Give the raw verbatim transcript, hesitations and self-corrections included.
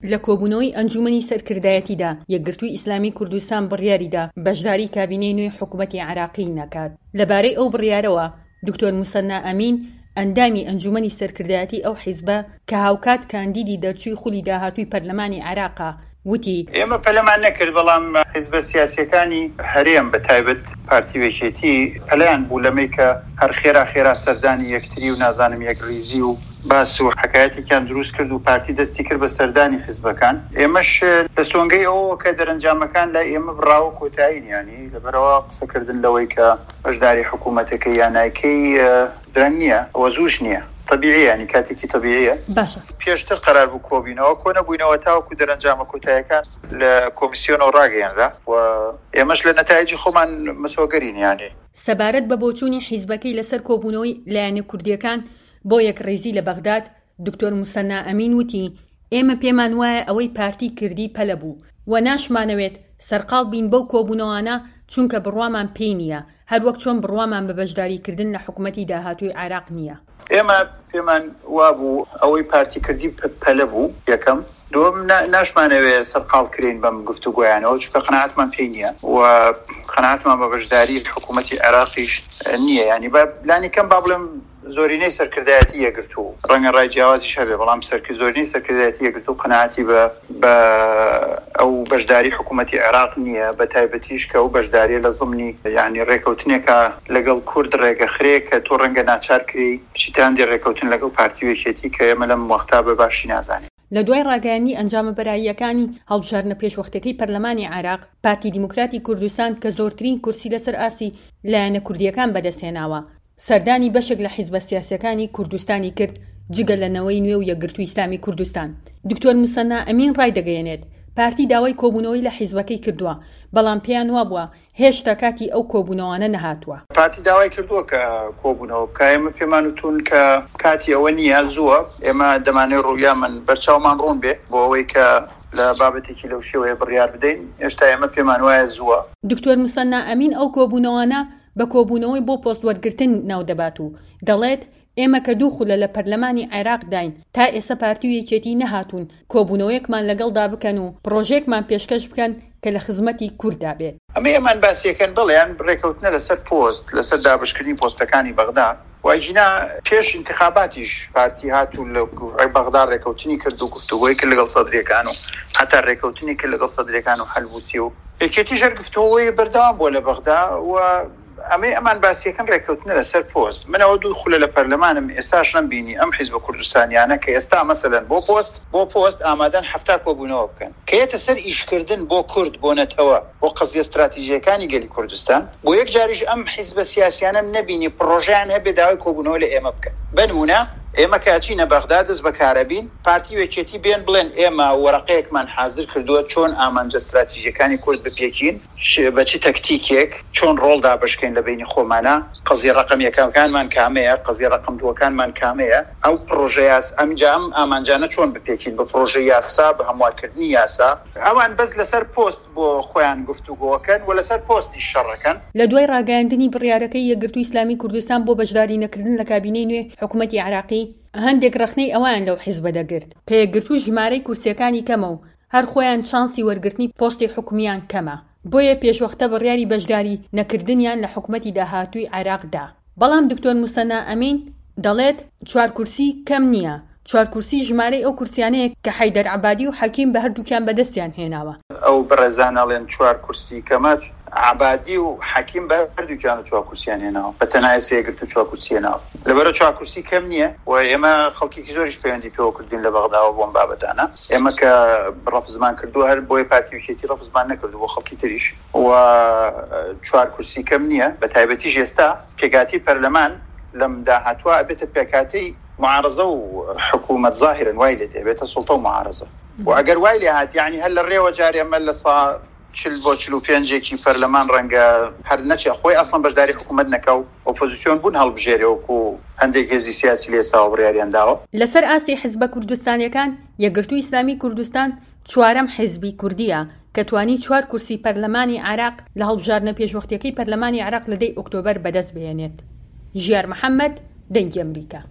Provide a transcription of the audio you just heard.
لە کۆبوونەوەی ئەنجوومەنی سەرکردایەتیدا، یەکگرتووی ئیسلامی کوردستان بڕیاریدا بەشداری کابینەی نوێی حکوومەتی عێراقی نەکات. لەبارەی ئەو بڕیارەوە، دکتۆر موسەننا ئەمین، ئەندامی ئەنجوومەنی سەرکردایەتی ئەو حیزبە کە هاوکات کاندیدی دەرچووی خولی داهاتووی پەرلەمانی عێراقە، وتی، ئێمە پەلەمان نەکرد، بەڵام حیزبە سیاسییەکانی هەرێم بە تایبەت پارتی و یەکێتی پەلەیان بوو لەمەی کە هەر خێرا خێرا سەردانی یەکتری و نازانم یەکڕیزی و باس و حەکایەتێکیان دروست کرد و پارتی دەستی کرد بە سەردانی حیزبەکان. ئێمەش لە سۆنگەی ئەوەوە کە دەرەنجامەکان لای ئێمە بڕاوە کۆتایین، یانی لەبەرئەوە قسەکردن لەوەی کە بەشداری حکوومەتەکەی یا نایکەی درەنگ نییە و زووش نییە، تەبیعیە، یانی کاتێکی تەبیعیە. باشە. پێشتر قەرار بوو کۆبینەوە، کۆ نەبووینەوە تاوەکو دەرەنجامە کۆتایەکان لە کۆمیسیۆنەوە ڕاگەیەنرا و ئێمەش لە نەتایجی خۆمان مسۆگەرین یانی. سەبارەت بە بۆچوونی حیزبەکەی لەسەر کۆبوونەوەی لایەنە کوردییەکان بۆ یەکڕیزی لە بەغداد، دکتۆر موسەننا ئەمین وتی، ئێمە پێمان وایە ئەوەی پارتی کردی پەلە بوو و ناشمانەوێت سەرقاڵ بین بەو کۆبوونەوانە چونکە بڕوامان پێی نییە، هەروەک چۆن بڕوامان بە بەشداریکردن لە حکومەتی داهاتووی عێراق نییە. ئێمە پێمان وابوو ئەوەی پارتی کردی پەلە بوو یەکەم، دووەم ناشمانەوێ سەرقاڵ کرێین بەم گفتوگۆیانەوە چونکە قەناعەتمان پێی نییە و قەناعەتمان بە بەشداری حکوومەتی عێراقیش نییە، یانی با لانی کەم با بڵێم زۆرینەی سەرکردایەتی یەکگرتوو، ڕەنگە ڕای جیاوازیش هەبێ، بەڵام زۆرینەی سەرکردایەتی یەکگرتوو قەناعەتی بە بە ئەو بەشداری حکوومەتی عێراق نییە، بە تایبەتیش کە ئەو بەشداریە لە زمنی یعنی ڕێکەوتنێکە لەگەڵ کورد ڕێگەخرێ کە تۆ ڕەنگە ناچار کرێی بچیتە هەندێ ڕێکەوتن لەگەڵ پارتی و یەکێتی کە ئێمە لەم وەختا بە باشی نازانین. لە دوای ڕاگەیاندنی ئەنجامە بەراییەکانی هەڵبژاردنە پێشوەختەکەی پەرلەمانی عێراق، پارتی دیموکراتی کوردستان کە زۆرترین کورسی لەسەر ئاستی لایەنە کوردییەکان بەدەستهێناوە، سەردانی بەشێک لە حیزبە سیاسییەکانی کوردستانی کرد جگە لە نەوەی نوێ و یەکگرتووی ئیسلامی کوردستان. دکتۆر موسەننا ئەمین ڕایدەگەیەنێت، پارتی داوای کۆبوونەوەی لە حیزبەکەی کردووە، بەڵام پێیان وابووە هێشتا کاتی ئەو کۆبوونەوانە نەهاتووە. پارتی داوای کردووە کە کۆبوونەوە بکا، ئێمە پێمان وتوون کە کاتی ئەوە نییە، زووە، ئێمە دەمانەوێت ڕوویامان بەرچاومان ڕوون بێ بۆ ئەوەی کە لە بابەتێکی لەو شێوەیە بڕیار بدەین، هێشتا ئێمە پێمان وایە زووە. دکتۆر موسەننا ئەمین ئەو کۆبوونەوانە بە کۆبوونەوەی بۆ پۆست وەرگرتن ناودەبات و دەڵێت، ئێمە کە دوو خولە لە پەرلەمانی عێراقداین تا ئێستا پارتی و یەکێتی نەهاتوون کۆبوونەوەیەکمان لەگەڵدا بکەن و پڕۆژەیەکمان پێشکەش بکەن کە لە خزمەتی کورددا بێت. ئەمەی ئەمان باسیەکەن بەڵێ یان ڕێکەوتنە لەسەر پۆست، لەسەر دابەشکردنی پۆستەکانی بەغدا و ئەگینا پێش ئینتخاباتیش پارتی هات و لە بەغدا ڕێکەوتنی کرد و گفتوگۆی کرد لەگەڵ سەدریەکان و حەتا ڕێکەوتنی کرد لەگەڵ سەدریەکان و حەلبوسی و یەکێتیش هەر گفتوگۆی بەردەوام بووە لە بەغدا و ئەمەی ئەمان باسیەکەن ڕێککەوتنە لەسەر پۆست. من ئەوە دوو خولە لە پەرلەمانم ئێستاش نەمبینی ئەم حیزبە کوردستانیانە کە ئێستا مەسەلەن بۆ پۆست بۆ پۆست ئامادەن حەفتا کۆبوونەوە بکەن کە یەتە سەر ئیشکردن بۆ کورد بۆ نەتەوە بۆ قەزیە ستراتیژیەکانی گەلی کوردستان بۆ یەک جاریش ئەم حیزبە سیاسیانەم نەبینی پڕۆژەیان هەبێ داوای کۆبوونەوە لە ئێمە بکەن بەنمونە ئێمە کە ئەچینە بەغدا دەست بەکارەبین پارتی و یەکێتی بێن بڵێن ئێمە وەرەقەیەکمان حازر کردووە چۆن ئامانجە ستراتیژیەکانی کورد بپێکین بە چ تەکتیکێک، چۆن ڕۆڵ دابەشکەین لە بەینی خۆمانا، قەزیە ڕەقەم یەکەکانمان کامەیە، قەزیە ڕەقەم دووەکانمان کامەیە، ئەو پڕۆژە یاس، ئەمجا ئەم ئامانجانە چۆن بپێکین بە پڕۆژەی یاسا، بە هەموارکردنی یاسا. ئەوان بەس لەسەر پۆست بۆ خۆیان گفتوگۆکەن و لەسەر پۆستیش شەڕەکەن. لە دوای ڕاگەیاندنی بڕیارەکەی یەکگرتووی ئیسلامی کوردستان بۆ بەشداری نەکردن لە کابینەی نوێی حکومەتی عێراقی، هەندێک ڕەخنەی ئەوەیان لەو حیزبە دەگرت کە یەکگرتوو ژمارەی کورسییەکانی کەمە و هەر خۆیان چانسی وەرگرتنی پۆستی حکومییان کەمە، بۆیە پێشوەختە بڕیاری بەشداری نەکردنیان لە حکومەتی داهاتووی عێراق دا. بەڵام دکتۆر موسەننا ئەمین دەڵێت، چوار کورسی کەم نییە، چوار کورسی ژمارەی ئەو کورسیانەیە کە حەیدەر عەبادی و حەکیم بە هەردووکیان بەدەستیان هێناوە. ئەو بەڕێزانە ئەڵێن چوار کورسی کەمە، عەبادی و حەکیم بە هەردووکیان چوار کورسیان هێناوە، بە تەنها ئێستا یەکگرتوو چوار کورسی هێناوە، لەبەرئەوە چوار کورسی کەم نییە و ئێمە خەڵکێکی زۆریش پەیوەندی پێوە کردوین لە بەغداوە بۆ ئەم بابەتانە. ئێمە کە ڕەفزمان کردووە هەر بۆیە پارتی و یەکێتی ڕەفزمان نەکردوو بۆ خەڵکی تریش و چوار کورسی کەم نییە، بە تایبەتیش ئێستا پێکهاتەی پەرلەمان لەم داهاتووە ئەبێتە پێکهاتەی معارەزە و حکوومەت، زاهیرەن وای لێ دێ ئەبێتە سوڵتە و معارەزە و ئەگەر وای لێ هات یەعنی هەر لە ڕێوە جارێ ئەمە لە سا چل بۆ چل و پێنجێکی پەرلەمان ڕەنگە هەر نەچێ خۆی ئەسڵەن بەشداری حکوومەت نەکا و ئۆپۆزیسیۆن بوون هەڵبژێرێ وەکوو هەندێک هێزی سیاسی لە ئێستاوە بڕیاریان داوە. لەسەر ئاستی حزبە کوردستانیەکان، یەکگرتووی ئیسلامی کوردستان چوارەم حزبی کوردییە کە توانی چوار کورسی پەرلەمانی عێراق لە هەڵبژاردنە پێشوەختیەکەی پەرلەمانی عێراق لە دەی ئۆکتۆبەر بەدەست بهێنێت. ژیار محەمەد، دەنگی ئەمریکا.